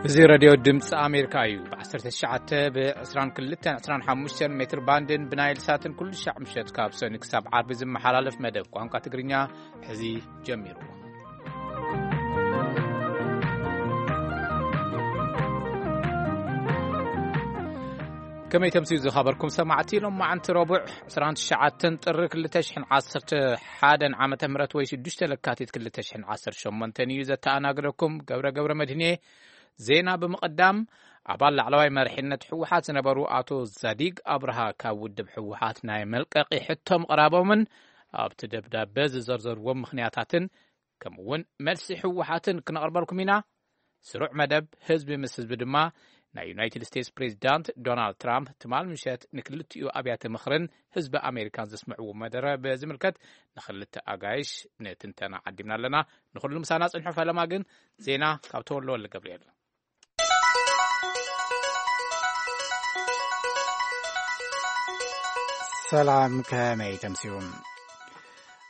እዚ ሬድዮ ድምፂ ኣሜሪካ እዩ። ብ19፣ ብ22፣ 25 ሜትር ባንድን ብናይል ሳትን ኩሉ ሻዕ ምሸት ካብ ሰኒ ክሳብ ዓርቢ ዝመሓላለፍ መደብ ቋንቋ ትግርኛ ሕዚ ጀሚሩ። ከመይ ተምስዩ ዝኸበርኩም ሰማዕቲ፣ ሎማዓንቲ ረቡዕ 29 ጥሪ 2011 ዓመተ ምህረት ወይ 6 ለካቲት 2018 እዩ። ዘተኣናግደኩም ገብረ ገብረ መድህኔ። ዜና ብምቕዳም፣ ኣባል ላዕለዋይ መሪሕነት ህወሓት ዝነበሩ ኣቶ ዛዲግ ኣብርሃ ካብ ውድብ ህወሓት ናይ መልቀቂ ሕቶ ምቕራቦምን ኣብቲ ደብዳበ ዝዘርዘርዎም ምኽንያታትን፣ ከምኡ እውን መልሲ ህወሓትን ክነቕርበልኩም ኢና። ስሩዕ መደብ ህዝቢ ምስ ህዝቢ ድማ፣ ናይ ዩናይትድ ስቴትስ ፕሬዚዳንት ዶናልድ ትራምፕ ትማል ምሸት ንክልቲኡ ኣብያተ ምኽርን ህዝቢ ኣሜሪካን ዘስምዕዎ መደረ ብዝምልከት ንክልተ ኣጋይሽ ንትንተና ዓዲምና ኣለና። ንኹሉ ምሳና ጽንሑ። ፈለማ ግን ዜና ካብ ተወልደ ወልደ ገብርኤል። ሰላም፣ ከመይ ተምስዩ?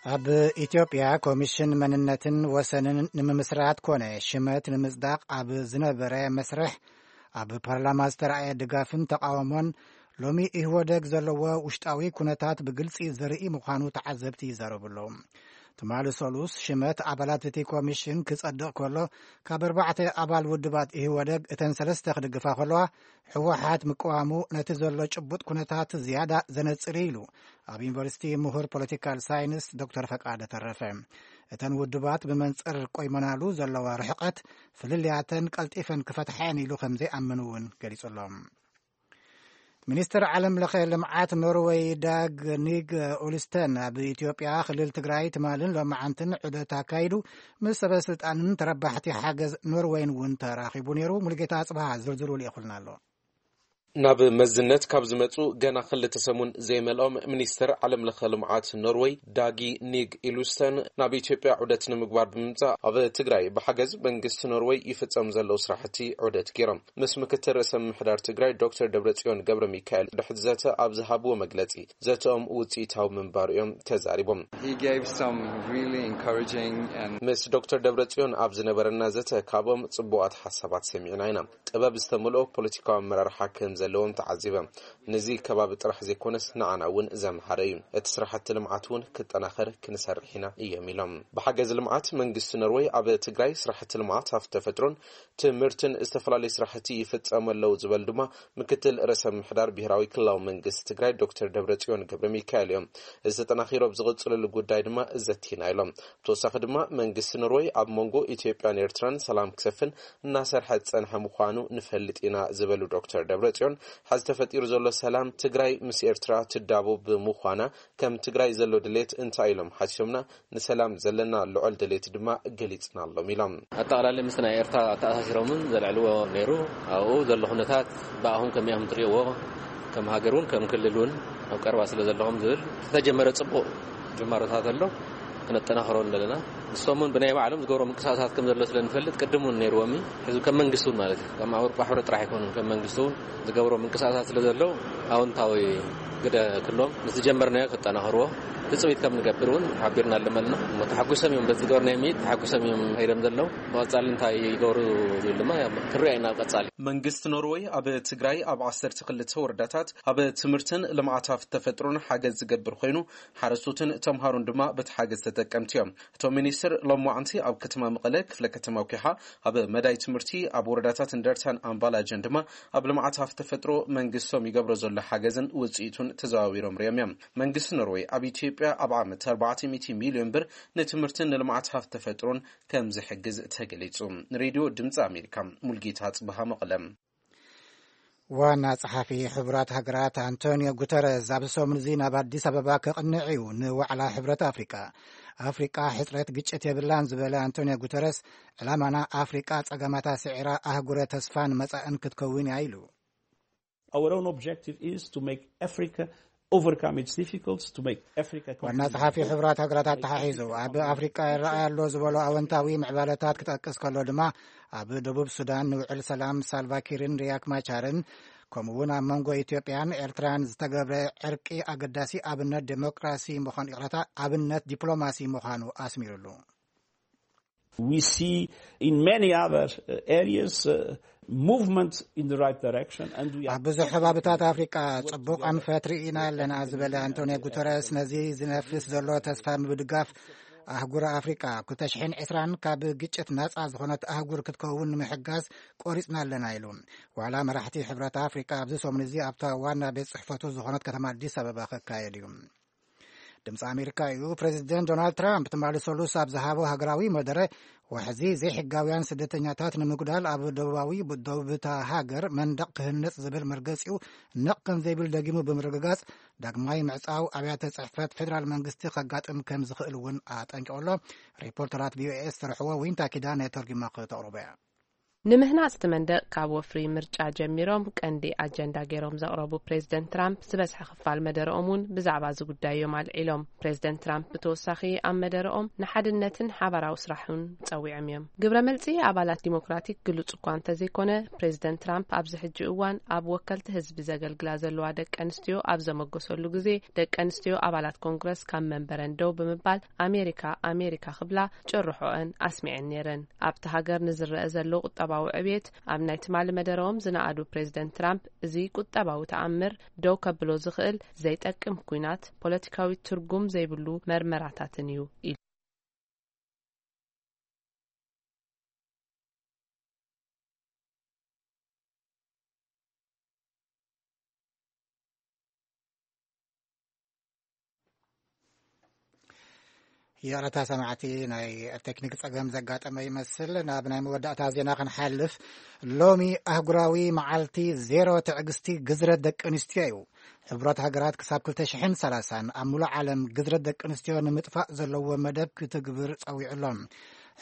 ኣብ ኢትዮጵያ ኮሚሽን መንነትን ወሰንን ንምምስራት ኮነ ሽመት ንምጽዳቕ ኣብ ዝነበረ መስርሕ፣ ኣብ ፓርላማ ዝተረኣየ ድጋፍን ተቃውሞን፣ ሎሚ ኢህወደግ ዘለዎ ውሽጣዊ ኩነታት ብግልጺ ዘርኢ ምዃኑ ተዓዘብቲ ይዛረቡ ኣለዉ። ትማሊ ሰሉስ ሽመት ኣባላት እቲ ኮሚሽን ክጸድቕ ከሎ፣ ካብ ኣርባዕተ ኣባል ውድባት ኢህወደግ እተን ሰለስተ ክድግፋ ከለዋ፣ ህወሓት ምቅዋሙ ነቲ ዘሎ ጭቡጥ ኩነታት ዝያዳ ዘነጽር እዩ ኢሉ ኣብ ዩኒቨርሲቲ ምሁር ፖለቲካል ሳይንስ ዶክተር ፈቃደ ተረፈ። እተን ውድባት ብመንጽር ቆይመናሉ ዘለዋ ርሕቀት ፍልልያተን ቀልጢፈን ክፈትሓ እየን ኢሉ ከም ዘይኣምን እውን ገሊጹ ኣሎ። ሚኒስትር ዓለም ለኸ ልምዓት ኖርወይ ዳግ ኒግ ኡልስተን ኣብ ኢትዮጵያ ክልል ትግራይ ትማልን ሎማዓንትን ዑደት ኣካይዱ፣ ምስ ሰበ ስልጣንን ተረባሕቲ ሓገዝ ኖርወይን እውን ተራኺቡ ነይሩ። ሙሉጌታ ኣጽብሃ ዝርዝሩ ልኢኹልና ኣሎ። ናብ መዝነት ካብ ዝመጹ ገና ክልተ ሰሙን ዘይመልኦም ሚኒስትር ዓለም ለኸ ልምዓት ኖርወይ ዳጊ ኒግ ኢሉስተን ናብ ኢትዮጵያ ዑደት ንምግባር ብምምጻእ፣ ኣብ ትግራይ ብሓገዝ መንግስቲ ኖርወይ ይፍጸም ዘለዉ ስራሕቲ ዑደት ገይሮም። ምስ ምክትል ርእሰ ምምሕዳር ትግራይ ዶክተር ደብረጽዮን ገብረ ሚካኤል ድሕሪ ዘተ ኣብ ዝሃብዎ መግለጺ፣ ዘተኦም ውጽኢታዊ ምንባሩ እዮም ተዛሪቦም። He gave some really encouraging and ምስ ዶክተር ደብረጽዮን ኣብ ዝነበረና ዘተ ካብኦም ጽቡቓት ሓሳባት ሰሚዕና ኢና። ጥበብ ዝተመልኦ ፖለቲካዊ ኣመራርሓ ከም ዘለዎም ተዓዚበ። ነዚ ከባቢ ጥራሕ ዘይኮነስ ንዓና እውን ዘምሃረ እዩ። እቲ ስራሕቲ ልምዓት እውን ክጠናኸር ክንሰርሕ ኢና እዮም ኢሎም። ብሓገዝ ልምዓት መንግስቲ ኖርወይ ኣብ ትግራይ ስራሕቲ ልምዓት ሃፍቲ ተፈጥሮን ትምህርትን ዝተፈላለዩ ስራሕቲ ይፍጸሙ ኣለዉ ዝበሉ ድማ ምክትል ርእሰ ምምሕዳር ብሄራዊ ክልላዊ መንግስቲ ትግራይ ዶክተር ደብረጽዮን ገብረ ሚካኤል እዮም። እዚ ተጠናኺሩ ኣብ ዝቕጽለሉ ጉዳይ ድማ ዘቲና ኢሎም። ብተወሳኺ ድማ መንግስቲ ኖርወይ ኣብ መንጎ ኢትዮጵያን ኤርትራን ሰላም ክሰፍን እናሰርሐ ዝጸንሐ ምዃኑ ንፈልጥ ኢና ዝበሉ ዶክተር ደብረጽዮን፣ ሐዚ ተፈጢሩ ዘሎ ሰላም ትግራይ ምስ ኤርትራ ትዳቦ ብምዃና ከም ትግራይ ዘሎ ድሌት እንታይ ኢሎም ሓቲቶምና፣ ንሰላም ዘለና ልዑል ድሌት ድማ ገሊጽናሎም ኢሎም። ኣጠቓላሊ ምስ ናይ ኤርትራ ኣተኣሳሲሮምን ዘልዕልዎ ነይሩ። ኣብኡ ዘሎ ኩነታት ብኣኹም ከመይ ኢኹም ትርእይዎ? ከም ሃገር እውን ከም ክልል እውን ኣብ ቀረባ ስለ ዘለኹም ዝብል ዝተጀመረ ጽቡቕ ጅማሮታት ኣሎ። ክነጠናኽሮ ኣለና። ንሶም እውን ብናይ ባዕሎም ዝገብሮ ምንቅስቃሳት ከም ዘሎ ስለ ንፈልጥ ቅድም እውን ነይርዎም እዩ። ሕዚ ከም መንግስቲ እውን ማለት እዩ፣ ከም ኣውሮፓ ሕብረት ጥራሕ ኣይኮኑን፣ ከም መንግስቲ እውን ዝገብሮ ምንቅስቃሳት ስለ ዘሎ ኣወንታዊ ግደ ክሎም ምስ ዝጀመርናዮ ከጠናኽርዎ ትጽቢት ከም ንገብር እውን ሓቢርና ኣለመልና። እሞ ተሓጒሶም እዮም፣ በዚ ዝገበርናዮ ምይት ተሓጒሶም እዮም ከይዶም ዘለዉ። ብቐጻሊ እንታይ ይገብሩ ዝብል ድማ ያው ክንሪኦ ኢና ኣብ ቀጻሊ። መንግስቲ ኖርወይ ኣብ ትግራይ ኣብ 12 ወረዳታት ኣብ ትምህርትን ልምዓት ሃፍቲ ተፈጥሮን ሓገዝ ዝገብር ኮይኑ፣ ሓረስቶትን ተምሃሮን ድማ በቲ ሓገዝ ተጠቀምቲ እዮም። እቶም ሚኒስትር ሎማዓንቲ ኣብ ከተማ መቐለ ክፍለ ከተማ ኲሓ ኣብ መዳይ ትምህርቲ ኣብ ወረዳታት እንደርታን ኣምባላጀን ድማ ኣብ ልምዓት ሃፍቲ ተፈጥሮ መንግስቶም ይገብሮ ዘሎ ሓገዝን ውፅኢቱን ተዘዋዊሮም ሪኦም እዮም። መንግስቲ ኖርወይ ኣብ ኢትዮጵያ ኣብ ዓመት 400 ሚሊዮን ብር ንትምህርትን ንልምዓት ሃፍቲ ተፈጥሮን ከም ዝሕግዝ ተገሊጹ። ንሬድዮ ድምፂ ኣሜሪካ ሙልጌታ ጽብሃ መቐለ። ዋና ጸሓፊ ሕቡራት ሃገራት ኣንቶኒዮ ጉተረዝ ኣብ ሰሙን እዚ ናብ ኣዲስ ኣበባ ከቕንዕ እዩ ንዋዕላ ሕብረት ኣፍሪቃ። ኣፍሪቃ ሕጽረት ግጭት የብላን ዝበለ ኣንቶኒዮ ጉተረዝ፣ ዕላማና ኣፍሪቃ ጸገማታ ስዒራ ኣህጉረ ተስፋን መጻእን ክትከውን እያ ኢሉ። Our own objective is to make Africa overcome its difficulties, to make Africa ዋና ጸሓፊ ሕቡራት ሃገራት ኣተሓሒዙ፣ ኣብ ኣፍሪቃ ይረኣይ ኣሎ ዝበሎ ኣወንታዊ ምዕባለታት ክጠቅስ ከሎ ድማ፣ ኣብ ደቡብ ሱዳን ንውዕል ሰላም ሳልቫኪርን ሪያክ ማቻርን፣ ከምኡ እውን ኣብ መንጎ ኢትዮጵያን ኤርትራን ዝተገብረ ዕርቂ ኣገዳሲ ኣብነት ዴሞክራሲ ምዃኑ፣ ይቕረታ፣ ኣብነት ዲፕሎማሲ ምዃኑ ኣስሚሩሉ። We see in many other uh, areas uh, movement in the right direction, and we are ኣብ ብዙሕ ከባብታት ኣፍሪቃ ጽቡቕ ኣንፈት ርኢና ኣለና ዝበለ ኣንቶኒዮ ጉተረስ፣ ነዚ ዝነፍስ ዘሎ ተስፋ ምብድጋፍ ኣህጉር ኣፍሪቃ ኣብ ክልተ ሽሕን ዕስራን ካብ ግጭት ናጻ ዝኾነት ኣህጉር ክትከውን ንምሕጋዝ ቆሪጽና ኣለና ኢሉ። ዋላ መራሕቲ ሕብረት ኣፍሪቃ ኣብዚ ሰሙን እዚ ኣብታ ዋና ቤት ጽሕፈቱ ዝኾነት ከተማ ኣዲስ ኣበባ ክካየድ እዩ። ድምፂ ኣሜሪካ እዩ። ፕሬዚደንት ዶናልድ ትራምፕ ትማሊ ሰሉስ ኣብ ዝሃቦ ሃገራዊ መደረ፣ ዋሕዚ ዘይሕጋውያን ስደተኛታት ንምጉዳል ኣብ ደቡባዊ ደቡብታ ሃገር መንደቕ ክህነፅ ዝብል መርገፂኡ ነቕ ከም ዘይብል ደጊሙ ብምርግጋፅ፣ ዳግማይ ምዕፃው ኣብያተ ፅሕፈት ፌዴራል መንግስቲ ከጋጥም ከም ዝኽእል እውን ኣጠንቂቑ ኣሎ። ሪፖርተራት ቪኦኤ ዝሰርሕዎ ዊንታ ኪዳነ ተርጉማ ክተቕርቦ እያ። ንምህናጽ እቲ መንደቕ ካብ ወፍሪ ምርጫ ጀሚሮም ቀንዲ ኣጀንዳ ገይሮም ዘቕረቡ ፕሬዝደንት ትራምፕ፣ ዝበዝሐ ክፋል መደረኦም እውን ብዛዕባ እዚ ጉዳይ እዮም ኣልዒሎም። ፕሬዝደንት ትራምፕ ብተወሳኺ ኣብ መደረኦም ንሓድነትን ሓባራዊ ስራሕን ጸዊዖም እዮም። ግብረ መልጺ ኣባላት ዲሞክራቲክ ግሉጽ እኳ እንተዘይኮነ፣ ፕሬዝደንት ትራምፕ ኣብዚ ሕጂ እዋን ኣብ ወከልቲ ህዝቢ ዘገልግላ ዘለዋ ደቂ ኣንስትዮ ኣብ ዘመጎሰሉ ግዜ፣ ደቂ ኣንስትዮ ኣባላት ኮንግረስ ካብ መንበረን ደው ብምባል ኣሜሪካ ኣሜሪካ ክብላ ጭርሖአን ኣስሚዐን ነይረን። ኣብቲ ሃገር ንዝረአ ዘሎ ቁጠባዊ ዕብየት ኣብ ናይ ትማሊ መደረኦም ዝነኣዱ ፕሬዝደንት ትራምፕ፣ እዚ ቁጠባዊ ተኣምር ደው ከብሎ ዝኽእል ዘይጠቅም ኲናት፣ ፖለቲካዊ ትርጉም ዘይብሉ መርመራታትን እዩ ኢሉ። ይቕረታ ሰማዕቲ፣ ናይ ቴክኒክ ጸገም ዘጋጠመ ይመስል። ናብ ናይ መወዳእታ ዜና ክንሓልፍ፣ ሎሚ ኣህጉራዊ መዓልቲ ዜሮ ትዕግስቲ ግዝረት ደቂ ኣንስትዮ እዩ። ሕቡራት ሃገራት ክሳብ ክልተ ሽሕን ሰላሳን ኣብ ሙሉእ ዓለም ግዝረት ደቂ ኣንስትዮ ንምጥፋእ ዘለዎ መደብ ክትግብር ጸዊዑ ኣሎ።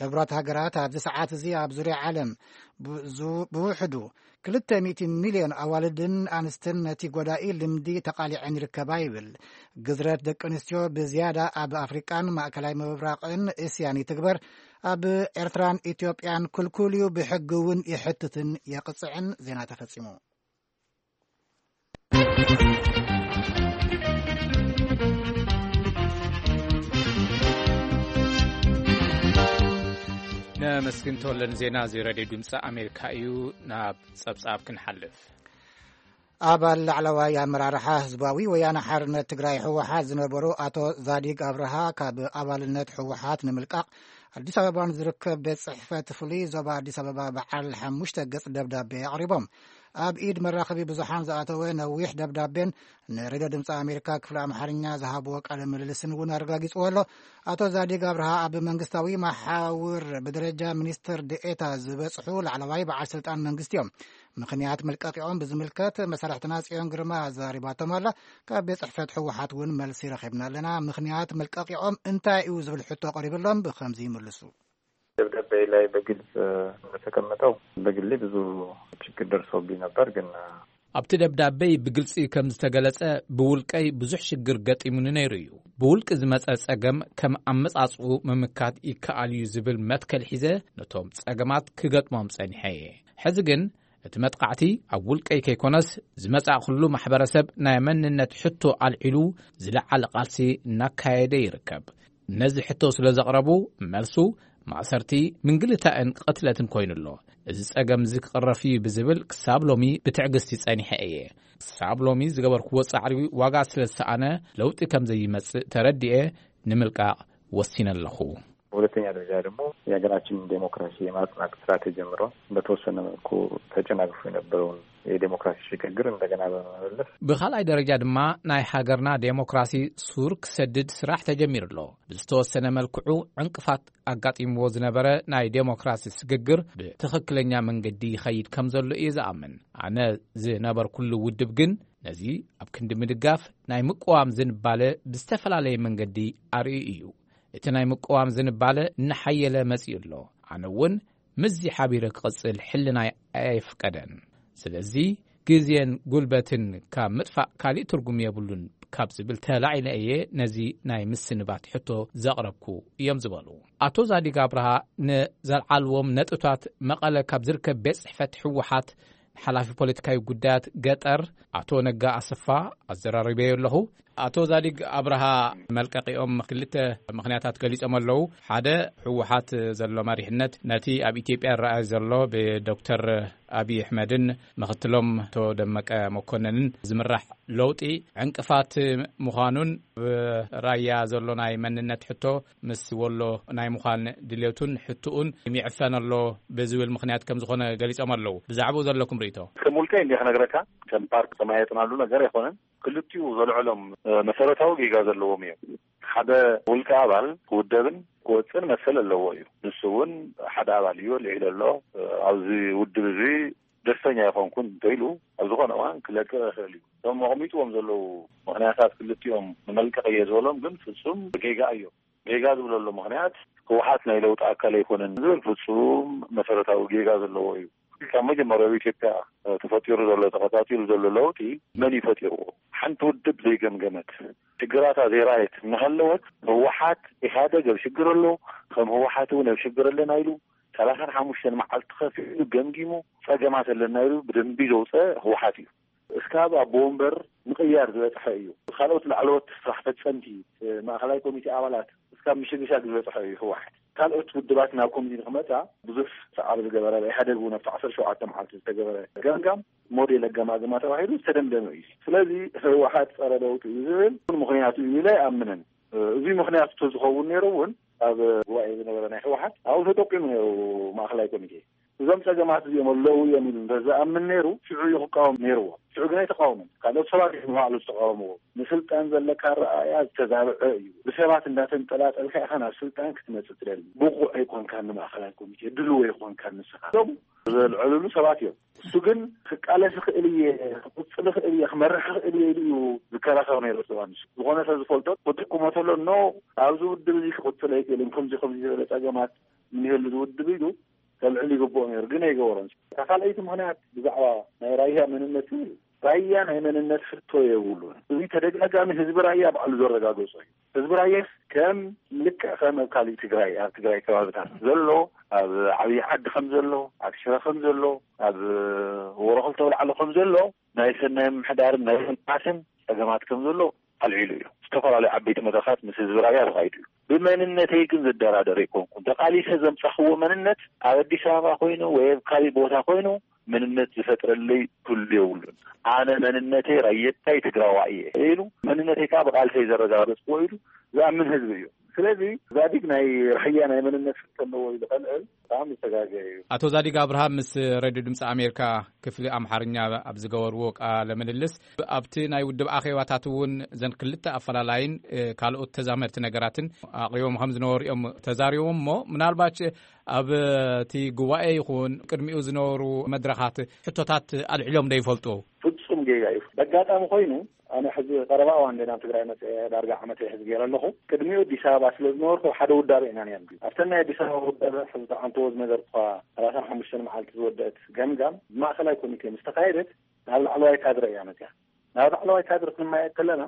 ሕቡራት ሃገራት ኣብዚ ሰዓት እዚ ኣብ ዙርያ ዓለም ብ-፣ ዙ-፣ ብውሕዱ ክልተ ሚእቲ ሚልዮን ኣዋልድን ኣንስትን ነቲ ጎዳኢ ልምዲ ተቓሊዐን ይርከባ ይብል። ግዝረት ደቂ ኣንስትዮ ብዝያዳ ኣብ ኣፍሪቃን ማእከላይ ምብራቕን እስያን ይትግበር። ኣብ ኤርትራን ኢትዮጵያን ክልኩል እዩ፣ ብሕጊ እውን ይሕትትን የቕጽዕን። ዜና ተፈጺሙ። ነመስግን ተወለ ንዜና እዚ ሬድዮ ድምፂ ኣሜሪካ እዩ። ናብ ጸብጻብ ክንሓልፍ። ኣባል ላዕለዋይ ኣመራርሓ ህዝባዊ ወያነ ሓርነት ትግራይ ህወሓት ዝነበሩ ኣቶ ዛዲግ ኣብርሃ ካብ ኣባልነት ህወሓት ንምልቃቕ ኣዲስ ኣበባ ንዝርከብ ቤት ጽሕፈት ፍሉይ ዞባ ኣዲስ ኣበባ በዓል ሓሙሽተ ገጽ ደብዳቤ ኣቕሪቦም። ኣብ ኢድ መራኸቢ ብዙሓን ዝኣተወ ነዊሕ ደብዳቤን ንሬድዮ ድምፂ ኣሜሪካ ክፍሊ ኣምሓርኛ ዝሃብዎ ቃለ ምልልስን እውን ኣረጋጊፅዎ ኣሎ። ኣቶ ዛዲግ ኣብርሃ ኣብ መንግስታዊ መሓውር ብደረጃ ሚኒስትር ድኤታ ዝበፅሑ ላዕለዋይ በዓል ስልጣን መንግስቲ እዮም። ምኽንያት መልቀቂኦም ብዝምልከት መሳርሕትና ጽዮን ግርማ ኣዛሪባቶም ኣላ። ካብ ቤት ጽሕፈት ህወሓት እውን መልሲ ረኺብና ኣለና። ምኽንያት መልቀቂኦም እንታይ እዩ ዝብል ሕቶ ቀሪብሎም ብከምዚ ይምልሱ። ደብዳቤ ላይ በግልጽ እንደተቀመጠው በግሌ ብዙ ችግር ደርሶብኝ ነበር፣ ግን ኣብቲ ደብዳቤይ ብግልጺ ከም ዝተገለጸ፣ ብውልቀይ ብዙሕ ሽግር ገጢሙኒ ነይሩ እዩ። ብውልቂ ዝመጸ ጸገም ከም ኣመጻጽኡ ምምካት ይከኣል እዩ ዝብል መትከል ሒዘ ነቶም ጸገማት ክገጥሞም ጸኒሐ እየ። ሕዚ ግን እቲ መጥቓዕቲ ኣብ ውልቀይ ከይኮነስ፣ ዝመጻእኩሉ ማሕበረሰብ ናይ መንነት ሕቶ ኣልዒሉ ዝለዓለ ቃልሲ እናካየደ ይርከብ። ነዚ ሕቶ ስለ ዘቕረቡ፣ መልሱ ማእሰርቲ፣ ምንግልታእን ቅትለትን ኮይኑ ኣሎ። እዚ ጸገም እዚ ክቕረፍ እዩ ብዝብል ክሳብ ሎሚ ብትዕግስቲ ጸኒሐ እየ። ክሳብ ሎሚ ዝገበርክዎ ጻዕሪ ዋጋ ስለ ዝሰኣነ፣ ለውጢ ከም ዘይመጽእ ተረዲኤ ንምልቃቕ ወሲነ ኣለኹ። በሁለተኛ ደረጃ ደግሞ የሀገራችንን ዴሞክራሲ የማጽናት ስራ ተጀምሮ በተወሰነ መልኩ ተጨናግፎ የነበረውን የዴሞክራሲ ሽግግር እንደገና በመመለስ፣ ብኻልኣይ ደረጃ ድማ ናይ ሃገርና ዴሞክራሲ ሱር ክሰድድ ስራሕ ተጀሚሩ ኣሎ። ብዝተወሰነ መልክዑ ዕንቅፋት ኣጋጢምዎ ዝነበረ ናይ ዴሞክራሲ ስግግር ብትኽክለኛ መንገዲ ይኸይድ ከም ዘሎ እየ ዝኣምን። ኣነ ዝነበርኩሉ ውድብ ግን ነዚ ኣብ ክንዲ ምድጋፍ ናይ ምቅዋም ዝንባለ ብዝተፈላለየ መንገዲ ኣርእዩ እዩ። እቲ ናይ ምቅዋም ዝንባለ እናሓየለ መጺኡ ኣሎ። ኣነ እውን ምስዚ ሓቢረ ክቕጽል ሕልናይ ኣየፍቀደን። ስለዚ ግዜን ጉልበትን ካብ ምጥፋእ ካሊእ ትርጉም የብሉን ካብ ዝብል ተላዒለ እየ ነዚ ናይ ምስንባት ሕቶ ዘቕረብኩ እዮም ዝበሉ ኣቶ ዛዲግ ኣብርሃ። ንዘልዓልዎም ነጥብታት መቐለ ካብ ዝርከብ ቤት ጽሕፈት ህወሓት ሓላፊ ፖለቲካዊ ጉዳያት ገጠር ኣቶ ነጋ ኣሰፋ ኣዘራሪበዮ ኣለኹ። ኣቶ ዛዲግ ኣብርሃ፣ መልቀቂኦም ክልተ ምኽንያታት ገሊጾም ኣለዉ። ሓደ፣ ህወሓት ዘሎ መሪሕነት ነቲ ኣብ ኢትዮጵያ ይረኣይ ዘሎ ብዶክተር ኣብይ ኣሕመድን ምኽትሎም ኣቶ ደመቀ መኮነንን ዝምራሕ ለውጢ ዕንቅፋት ምዃኑን፣ ኣብ ራያ ዘሎ ናይ መንነት ሕቶ ምስ ወሎ ናይ ምዃን ድሌቱን ሕትኡን ይዕፈን ኣሎ ብዝብል ምኽንያት ከም ዝኾነ ገሊጾም ኣለዉ። ብዛዕባኡ ዘለኩም ርእይቶ? ከም ውልቀይ እንዲየ ክነግረካ፣ ከም ፓርቲ ተማየጥናሉ ነገር ኣይኮነን። ክልቲኡ ዘልዕሎም፣ እ፣ መሰረታዊ ጌጋ ዘለዎም እዮም። ሓደ ውልቀ ኣባል ክውደብን ክወፅን መሰል ኣለዎ እዩ። ንሱ እውን ሓደ ኣባል እዩ፣ ኣልዒሉ ኣሎ። እ፣ ኣብዚ ውድብ እዚ ደስተኛ ኣይኮንኩን እንተኢሉ፣ ኣብ ዝኾነ እዋን ክለቅቕ ይኽእል እዩ። እቶም ኣቕሚጥዎም ዘለዉ ምኽንያታት ክልቲኦም ንመልቀቕ እየ ዝበሎም ግን ፍጹም ጌጋ እዮም። ጌጋ ዝብለሉ ምኽንያት፣ ህወሓት ናይ ለውጢ ኣካል ኣይኮነን ዝብል ፍጹም መሰረታዊ ጌጋ ዘለዎ እዩ። ካብ መጀመርያ ኣብ ኢትዮጵያ ተፈጢሩ ዘሎ፣ ተኸታቲሉ ዘሎ ለውጢ መን እዩ ፈጢርዎ? ሓንቲ ውድብ ዘይገምገመት፣ ሽግራታ ዘይረኣየት እናሃለወት፣ ህወሓት፣ ኢህኣደግ ኣብ ሽግር ኣሎ፣ ከም ህወሓት እውን ኣብ ሽግር ኣለና ኢሉ፣ ሰላሳን ሓሙሽተን መዓልቲ ከፊሉ ገምጊሙ፣ ጸገማት ኣለና ኢሉ ብደንቢ ዘውፀ ህወሓት እዩ። እስካብ ኣቦ ወንበር ምቕያር ዝበፅሐ እዩ። ካልኦት ላዕለዎት ስራሕ ፈፀምቲ፣ ማእኸላይ ኮሚቴ ኣባላት እስካብ ምሽግሻግ ዝበፅሐ እዩ ህወሓት። ካልኦት ውድባት ናብ ኮሚቴ ንክመፃ ብዙሕ ሰዓብ ዝገበረ፣ ኢህኣደግ እውን ኣብቲ ዓሰርተ ሸውዓተ መዓልቲ ዝተገበረ ገምጋም ሞዴል ኣገማግማ ተባሂሉ ዝተደምደመ እዩ። ስለዚ ህወሓት ፀረ ለውጢ እዩ ዝብል ምኽንያቱ እዩ ኢለ ኣይኣምንን። እዚ ምኽንያቱ ተዝኸውን ነይሩ እውን ኣብ ጉባኤ ዝነበረ ናይ ህወሓት ኣብኡ ተጠቂሙ ነይሩ ማእኸላይ ኮሚቴ። እዞም ጸገማት እዚኦም ኣለዉ እዮም ኢሉ እንተ ዝኣምን ነይሩ፣ ሽዑ እዩ ክቃወም ነይርዎ። ሽዑ ግን ኣይተቃወመን። ካልኦት ሰባት እዮም ንባዕሉ ዝተቃወምዎ። ንስልጣን ዘለካ ኣረኣእያ ዝተዛብዐ እዩ። ብሰባት እንዳተንጠላጠልካ ኢኻ ናብ ስልጣን ክትመጽእ ትደሊ። ብቑዕ ኣይኮንካን፣ ንማእኸላይ ኮሚቴ ድልው ኣይኮንካን ንስኻ። እዞም ዘልዕልሉ ሰባት እዮም። እሱ ግን ክቃለስ ይኽእል እየ፣ ክቕጽል ይኽእል እየ፣ ክመርሕ ይኽእል እየ ኢሉ እዩ ዝከራኸር ነይሩ። እሱ ዝኾነ ሰብ ዝፈልጦ ክጥቁሞ ተሎ፣ ኖ፣ ኣብዚ ውድብ እዚ ክቕጽል ኣይክእልን፣ ከምዚ ከምዚ ዝበለ ጸገማት እኒሀሉ ዝውድብ ኢሉ ከልዕል ይግብኦ ነይሩ፣ ግን ኣይገበሮን። እታ ካልኣይቲ ምኽንያት ብዛዕባ ናይ ራያ መንነት ዝብል፣ ራያ ናይ መንነት ሕቶ የብሉን። እዚ ተደጋጋሚ ህዝቢ ራያ ባዕሉ ዘረጋገጾ እዩ። ህዝቢ ራያስ ከም፣ ልክዕ ከም ኣብ ካሊእ ትግራይ፣ ኣብ ትግራይ ከባብታት ዘሎ፣ ኣብ ዓብዪ ዓዲ ከም ዘሎ፣ ኣብ ሽረ ከም ዘሎ፣ ኣብ ወረኽልተ ኣውላዕሎ ከም ዘሎ፣ ናይ ሰናይ ምምሕዳርን ናይ ልምዓትን ጸገማት ከም ዘሎ ኣልዒሉ እዩ። ዝተፈላለዩ ዓበይቲ መድረኻት ምስ ህዝቢ ራያ ተኻይዱ እዩ። ብመንነተይ ግን ዝደራደር ኣይኮንኩን። ተቓሊሰ ዘምጻኽዎ መንነት ኣብ ኣዲስ ኣበባ ኮይኑ ወይ ኣብ ካሊእ ቦታ ኮይኑ መንነት ዝፈጥረለይ ክህሉ የብሉን። ኣነ መንነተይ ራየታይ ትግራዋይ እየ ኢሉ፣ መንነተይ ከዓ ብቓልሰይ ዘረጋገጽክዎ ኢሉ ዝኣምን ህዝቢ እዩ። ስለዚ ዛዲግ ናይ ራያ ናይ መንነት ሕቶ ኣለዎ ኢሉ ከልዕል ብጣዕሚ ዝተጋገየ እዩ። ኣቶ ዛዲግ ኣብርሃም ምስ ሬድዮ ድምፂ ኣሜሪካ ክፍሊ ኣምሓርኛ ኣብ ዝገበርዎ ቃለ ምልልስ፣ ኣብቲ ናይ ውድብ ኣኼባታት እውን እዘን ክልተ ኣፈላላይን፣ እ፣ ካልኦት ተዛመድቲ ነገራትን ኣቕሪቦም ከም ዝነበሩ እዮም ተዛሪቦም። እሞ ምናልባት ኣብ እቲ ጉባኤ ይኹን ቅድሚኡ ዝነበሩ መድረኻት ሕቶታት ኣልዒሎም ዶ ይፈልጡ? ፍጹም ጌጋ እዩ። በጋጣሚ ኮይኑ ኣነ ሕዚ ቀረባ እዋን እንደ ናብ ትግራይ መፅአ ዳርጋ ዓመት ሕዚ ገይረ ኣለኹ። ቅድሚኡ ኣዲስ ኣበባ ስለ ዝነበርኩ ሓደ ውዳበ ኢና ነርና። ኣብተን ናይ ኣዲስ ኣበባ ውዳበ ሕዚ ተዓንተዎ ዝነገርኩኻ ሰላሳን ሓሙሽተን መዓልቲ ዝወደአት ገምጋም ብማእኸላይ ኮሚቴ ምስ ተኻየደት ናብ ላዕለዋይ ካድረ እያ መፅያ። ናብ ላዕለዋይ ካድረ ክንመያየጥ ከለና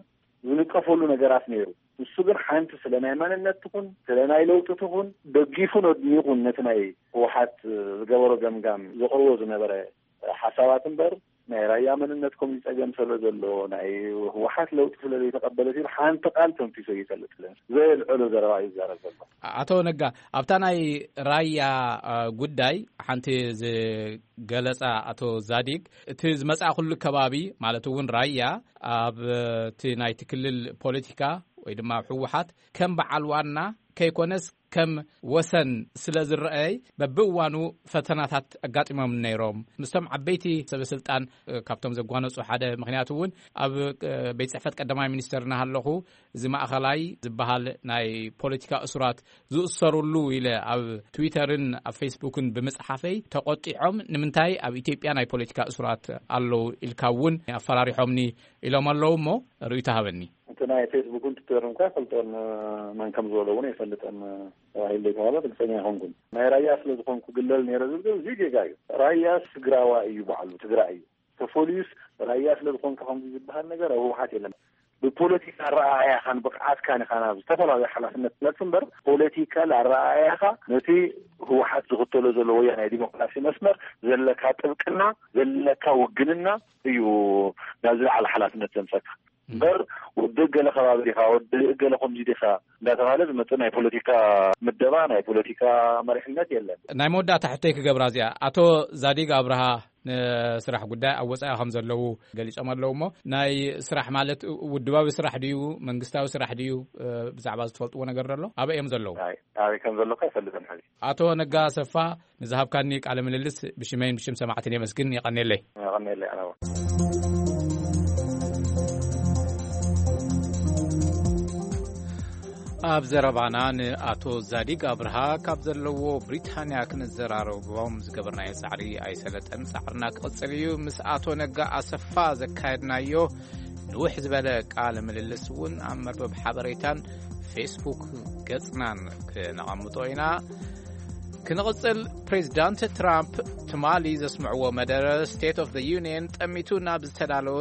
ዝንቀፈሉ ነገራት ነይሩ። ንሱ ግን ሓንቲ ስለ ናይ መንነት ትኹን ስለ ናይ ለውጢ ትኹን ደጊፉን ኣድኒቑን ነቲ ናይ ህወሓት ዝገበሮ ገምጋም ዘቕርቦ ዝነበረ ሓሳባት እምበር ናይ ራያ መንነት ከምዚ ጸገም ስለ ዘሎ ናይ ህወሓት ለውጢ ስለ ዘይተቐበለት ኢሉ ሓንቲ ቃል ተንፊሱ ኣይፈልጥን። ዘየልዕሎ ዘረባ እዩ ዝዛረብ ዘሎ። ኣቶ ነጋ፣ ኣብታ ናይ ራያ፣ አ፣ ጉዳይ ሓንቲ ዝገለጻ ኣቶ ዛዲግ፣ እቲ ዝመጽኣ ኩሉ ከባቢ ማለት እውን ራያ ኣብ እቲ ናይቲ ክልል ፖለቲካ ወይ ድማ ህወሓት ከም በዓል ዋና ከይኮነስ ከም ወሰን ስለ ዝረኣይ በብእዋኑ ፈተናታት ኣጋጢሞም ነይሮም። ምስቶም ዓበይቲ ሰበ ስልጣን፣ እ፣ ካብቶም ዘጓነጹ ሓደ ምኽንያት እውን ኣብ፣ እ፣ ቤት ጽሕፈት ቀዳማይ ሚኒስተር እናሃለኹ እዚ ማእኸላይ ዝበሃል ናይ ፖለቲካ እሱራት ዝእሰሩሉ ኢለ ኣብ ትዊተርን ኣብ ፌስቡክን ብምጽሓፈይ ተቖጢዖም፣ ንምንታይ ኣብ ኢትዮጵያ ናይ ፖለቲካ እሱራት ኣለዉ ኢልካ እውን ኣፈራሪሖምኒ ኢሎም ኣለዉ። እሞ ርእይቶ ሃበኒ። እቲ ናይ ፌስቡክን ትዊተርን እኳ ይፈልጦን መን ከም ዝበሎ እውን ኣይፈልጥን ተባሂሉ ዘይተባህለ ግልፀኛ ኣይኮንኩን። ናይ ራያ ስለ ዝኾንኩ ግለል ነይረ ዝብል እዚ ጌጋ እዩ። ራያ ትግራዋይ እዩ፣ ባዕሉ ትግራይ እዩ። ተፈልዩስ ራያ ስለ ዝኾንካ ከምዚ ዝበሃል ነገር ኣብ ህወሓት የለን። ብፖለቲካ ኣረኣእያኻን ብቕዓትካን ኢኻ ናብ ዝተፈላለዩ ሓላፍነት ትመጽእ እምበር፣ ፖለቲካል ኣረኣእያኻ ነቲ ህወሓት ዝኽተሎ ዘሎ ወያናይ ዲሞክራሲ መስመር ዘለካ ጥብቅና፣ ዘለካ ውግንና እዩ ናብ ዝለዓለ ሓላፍነት ዘምጸካ። እምበር ውድእ ገለ ከባቢ ዲኻ፣ ውድእ ገለ ከምዚ ዲኻ እንዳተባሃለ ዝመጽእ ናይ ፖለቲካ ምደባ፣ ናይ ፖለቲካ መሪሕነት የለን። ናይ መወዳእታ ሕቶይ ክገብራ እዚኣ፣ ኣቶ ዛዲግ ኣብርሃ ንስራሕ ጉዳይ ኣብ ወጻኢ ከም ዘለዉ ገሊጾም ኣለዉ። እሞ ናይ ስራሕ ማለት ውድባዊ ስራሕ ድዩ መንግስታዊ ስራሕ ድዩ? ብዛዕባ ዝትፈልጥዎ ነገር ደሎ ኣበይ እዮም ዘለዉ? ኣበይ ከም ዘለኹ ኣይፈልጥን ሕዚ። ኣቶ ነጋ ኣሰፋ፣ ንዝሃብካኒ ቃለ ምልልስ ብሽመይን ብሽም ሰማዕትን የመስግን። የቐኔለይ። የቐኔለይ ኣነ እውን። ኣብ ዘረባና ንኣቶ ዛዲግ ኣብርሃ ካብ ዘለዎ ብሪታንያ ክንዘራረቦም ዝገበርናዮ ጻዕሪ ኣይሰለጠን። ጻዕርና ክቕጽል እዩ። ምስ ኣቶ ነጋ ኣሰፋ ዘካየድናዮ ንውሕ ዝበለ ቃለ ምልልስ እውን ኣብ መርበብ ሓበሬታን ፌስቡክ ገጽናን ክነቐምጦ ኢና። ክንቕጽል፣ ፕሬዚዳንት ትራምፕ ትማሊ ዘስምዕዎ መደረ ስቴት ኦፍ ዘ ዩኒየን ጠሚቱ ናብ ዝተዳለወ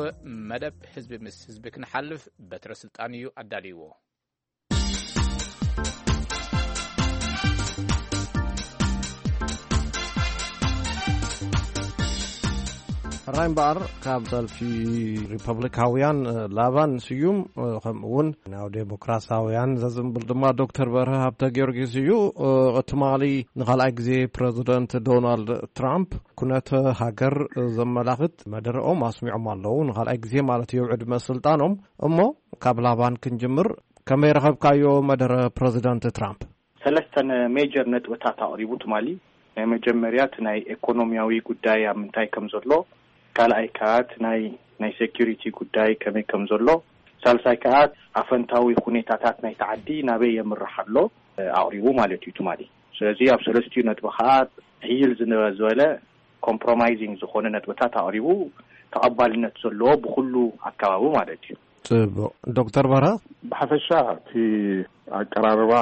መደብ ህዝቢ ምስ ህዝቢ ክንሓልፍ በትረ ስልጣን እዩ ኣዳልይዎ። ሕራይ እምበኣር፣ ካብ ሰልፊ ሪፐብሊካውያን ላባን ስዩም፣ ከምኡ እውን ናብ ዴሞክራሲያውያን ዘዝንብል ድማ ዶክተር በርሀ ሃብተ ጊዮርጊስ እዩ። ትማሊ ንኻልኣይ ግዜ ፕረዚደንት ዶናልድ ትራምፕ ኩነተ ሃገር ዘመላኽት መደረኦም ኣስሚዖም ኣለዉ። ንኻልኣይ ግዜ ማለት እዩ ዕድመ ስልጣኖም። እሞ ካብ ላባን ክንጅምር፣ ከመይ ረኸብካዮ መደረ ፕረዚደንት ትራምፕ? ሰለስተ ሜጀር ነጥብታት ኣቕሪቡ ትማሊ። ናይ መጀመርያ እቲ ናይ ኢኮኖሚያዊ ጉዳይ ኣብ ምንታይ ከም ዘሎ፣ ካልኣይ ከኣ እቲ ናይ ናይ ሴኩሪቲ ጉዳይ ከመይ ከም ዘሎ፣ ሳልሳይ ከኣ ኣፈንታዊ ሁኔታታት ናይቲ ዓዲ ናበይ የምርሕ ኣሎ ኣቕሪቡ ማለት እዩ ትማሊ። ስለዚ ኣብ ሰለስቲኡ ነጥቢ ከኣ ሕይል ዝነበ ዝበለ ኮምፕሮማይዚንግ ዝኾነ ነጥብታት ኣቕሪቡ፣ ተቐባልነት ዘለዎ ብኩሉ ኣካባቢ ማለት እዩ። ጽቡቕ። ዶክተር በርሀ? ብሓፈሻ እቲ ኣቀራርባ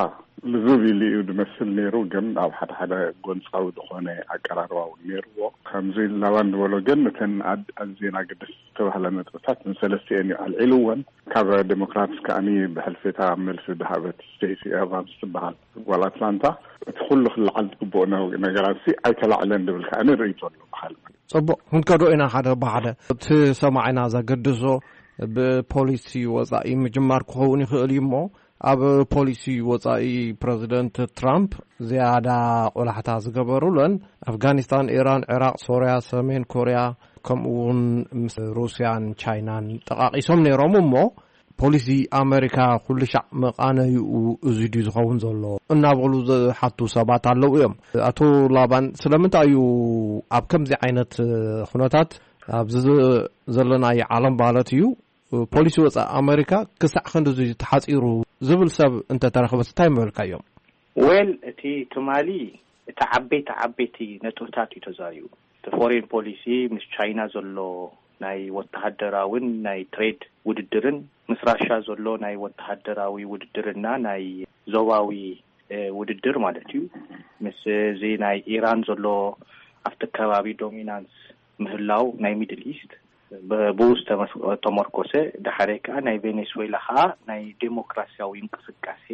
ልዝብ ኢሉ እዩ ዝመስል ነይሩ፣ ግን ኣብ ሓደ ሓደ ጎንጻዊ ዝኾነ ኣቀራርባ እውን ነይርዎ። ከምዚ ላባን ዝበሎ ግን እተን ኣድ-፣ ኣዝየን ኣገደስቲ ዝተባህላ ነጥብታት ንሰለስቲኤን እዩ ኣልዒልወን። ካብ ዴሞክራትስ ከኣኒ ብሕልፊ እታ መልሲ ዝሃበት ስቴሲ ኤቫንስ ትበሃል ጓል ኣትላንታ፣ እቲ ኩሉ ክለዓል ዝግብኦ ነ-፣ ነገራት ሲ ኣይተላዕለን ዝብል ከኣኒ ርእይቶ ኣሎ ብሓል። ጽቡቕ፣ ክንከዶ ኢና ሓደ ብሓደ። እቲ ሰማዒና ዘገድሶ ብፖሊሲ ወጻኢ ምጅማር ክኸውን ይኽእል እዩ እሞ፣ ኣብ ፖሊሲ ወጻኢ ፕረዚደንት ትራምፕ ዝያዳ ቆላሕታ ዝገበሩለን ኣፍጋኒስታን፣ ኢራን፣ ዒራቕ፣ ሶርያ፣ ሰሜን ኮርያ፣ ከምኡ እውን ምስ ሩስያን ቻይናን ጠቓቒሶም ነይሮም እሞ፣ ፖሊሲ ኣመሪካ ኩሉ ሻዕ መቓነይኡ እዚ ድዩ ዝኸውን ዘሎ እናበሉ ዝሓቱ ሰባት ኣለዉ እዮም። ኣቶ ላባን፣ ስለምንታይ እዩ ኣብ ከምዚ ዓይነት ኩነታት ኣብዚ ዘ-፣ ዘለናዮ ዓለም ማለት እዩ ፖሊሲ ወጻኢ ኣመሪካ ክሳዕ ክንድዚ ተሓጺሩ ዝብል ሰብ እንተተረኽበስ እንታይ ምበልካዮም? ዌል፣ እቲ ትማሊ እቲ ዓበይቲ ዓበይቲ ነጥብታት እዩ ተዛሪቡ። እቲ ፎሬን ፖሊሲ፣ ምስ ቻይና ዘሎ ናይ ወተሃደራውን ናይ ትሬድ ውድድርን፣ ምስ ራሻ ዘሎ ናይ ወተሃደራዊ ውድድርና ናይ ዞባዊ፣ እ፣ ውድድር ማለት እዩ። ምስ እዚ ናይ ኢራን ዘሎ ኣብቲ ከባቢ ዶሚናንስ ምህላው ናይ ሚድል ኢስት ብ-፣ ብኡ ዝተመስ-፣ ተመርኮሰ፣ ድሓረ ከኣ ናይ ቬኔስዌላ ከኣ ናይ ዴሞክራሲያዊ እንቅስቃሴ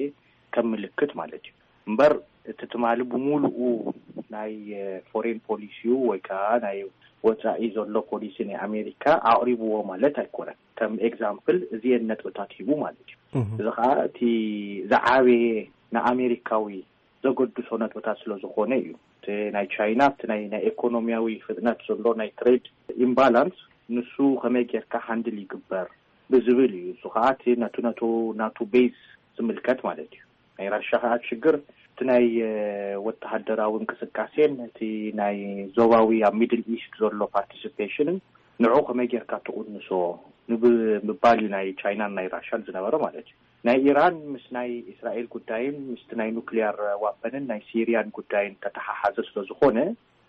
ከም ምልክት ማለት እዩ። እምበር እቲ ትማሊ ብምሉኡ ናይ፣ እ፣ ፎሬን ፖሊሲኡ ወይ ከኣ ናይ ወጻኢ ዘሎ ፖሊሲ ናይ ኣሜሪካ ኣቕሪብዎ ማለት ኣይኮነን። ከም ኤግዛምፕል እዚኤን ነጥብታት ሂቡ ማለት እዩ። እህ። እዚ ከኣ እቲ ዝዓበየ ንኣሜሪካዊ ዘገድሶ ነጥብታት ስለ ዝኾነ እዩ። እቲ ናይ ቻይና፣ እቲ ናይ፣ ናይ ኢኮኖሚያዊ ፍጥነት ዘሎ ናይ ትሬድ ኢምባላንስ፣ ንሱ ከመይ ጌርካ ሃንድል ይግበር ብዝብል እዩ። እሱ ከኣ እቲ ነቱ፣ ነቱ፣ ናቱ ቤዝ ዝምልከት ማለት እዩ። ናይ ራሻ ከኣ ሽግር እቲ ናይ፣ እ፣ ወተሃደራዊ እንቅስቃሴን እቲ ናይ ዞባዊ ኣብ ሚድል ኢስት ዘሎ ፓርቲሲፔሽንን ንዑ ከመይ ጌርካ ትቕንሶ ንብ-፣ ምባል እዩ ናይ ቻይናን ናይ ራሻን ዝነበረ ማለት እዩ። ናይ ኢራን ምስ ናይ እስራኤል ጉዳይን ምስቲ ናይ ኑክሊየር ዋፐንን ናይ ሲሪያን ጉዳይን ተተሓሓዘ ስለ ዝኾነ፣